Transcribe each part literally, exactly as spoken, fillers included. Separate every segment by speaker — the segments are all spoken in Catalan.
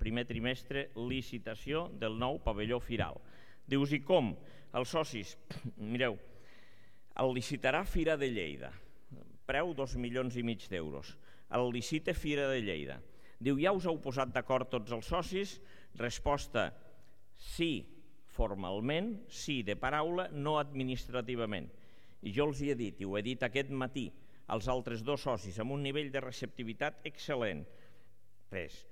Speaker 1: primer trimestre, licitació del nou pavelló firal. Dius, i com? Els socis, mireu, el licitarà Fira de Lleida, preu dos milions i mig d'euros. El licita Fira de Lleida. Diu, ja us heu posat d'acord tots els socis? Resposta, sí, formalment, sí de paraula, no administrativament. I jo els hi he dit, i ho he dit aquest matí, als altres dos socis, amb un nivell de receptivitat excel·lent. Res.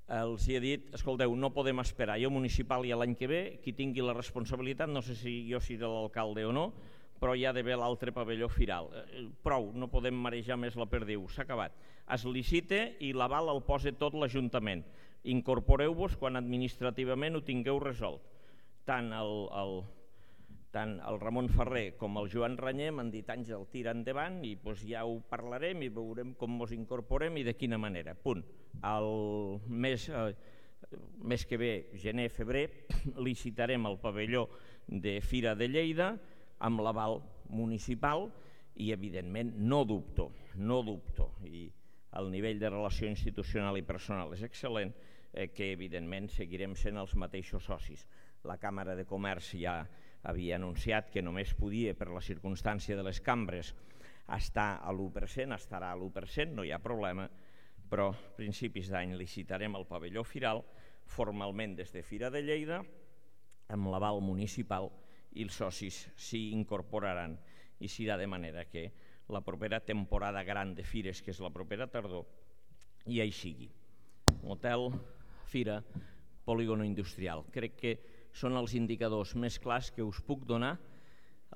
Speaker 1: Els hi he dit, escolteu, no podem esperar, jo municipal i l'any que ve, qui tingui la responsabilitat, no sé si jo seré l'alcalde o no, però hi ha d'haver l'altre pavelló firal. Prou, no podem marejar més la perdiu, s'ha acabat. Es licita i l'aval el posa tot l'Ajuntament. Incorporeu-vos quan administrativament ho tingueu resolt. Tant el, el, tant el Ramon Ferrer com el Joan Ranyer m'han dit, Àngel, tira endavant i doncs ja ho parlarem i veurem com ens incorporem i de quina manera. Punt. El mes, eh, mes que ve, gener, febrer, licitarem el pavelló de Fira de Lleida amb l'aval municipal i, evidentment, no dubto, no dubto, i el nivell de relació institucional i personal és excel·lent, eh, que, evidentment, seguirem sent els mateixos socis. La Càmera de Comerç ja havia anunciat que només podia, per la circumstància de les cambres, estar a l'u per cent, estarà a l'u per cent, no hi ha problema, però a principis d'any licitarem el pavelló firal formalment des de Fira de Lleida amb l'aval municipal i els socis s'hi incorporaran i serà de manera que la propera temporada gran de fires, que és la propera tardor, ja hi sigui. Hotel, fira, polígono industrial. Crec que són els indicadors més clars que us puc donar,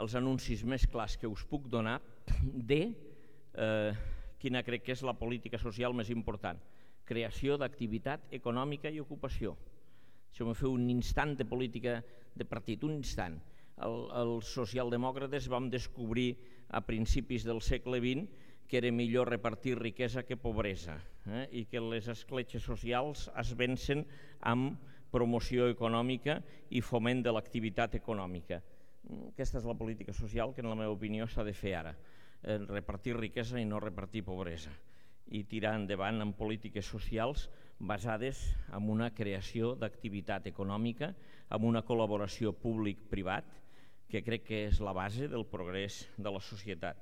Speaker 1: els anuncis més clars que us puc donar de eh, quina crec que és la política social més important. Creació d'activitat econòmica i ocupació. Això m'ho feu un instant de política de partit, un instant. El, els socialdemòcrates vam descobrir a principis del segle vint que era millor repartir riquesa que pobresa, eh? I que les escletxes socials es vencen amb promoció econòmica i foment de l'activitat econòmica. Aquesta és la política social que, en la meva opinió, s'ha de fer ara. Eh, repartir riquesa i no repartir pobresa. I tirar endavant amb polítiques socials basades en una creació d'activitat econòmica, amb una col·laboració públic-privat, que crec que és la base del progrés de la societat.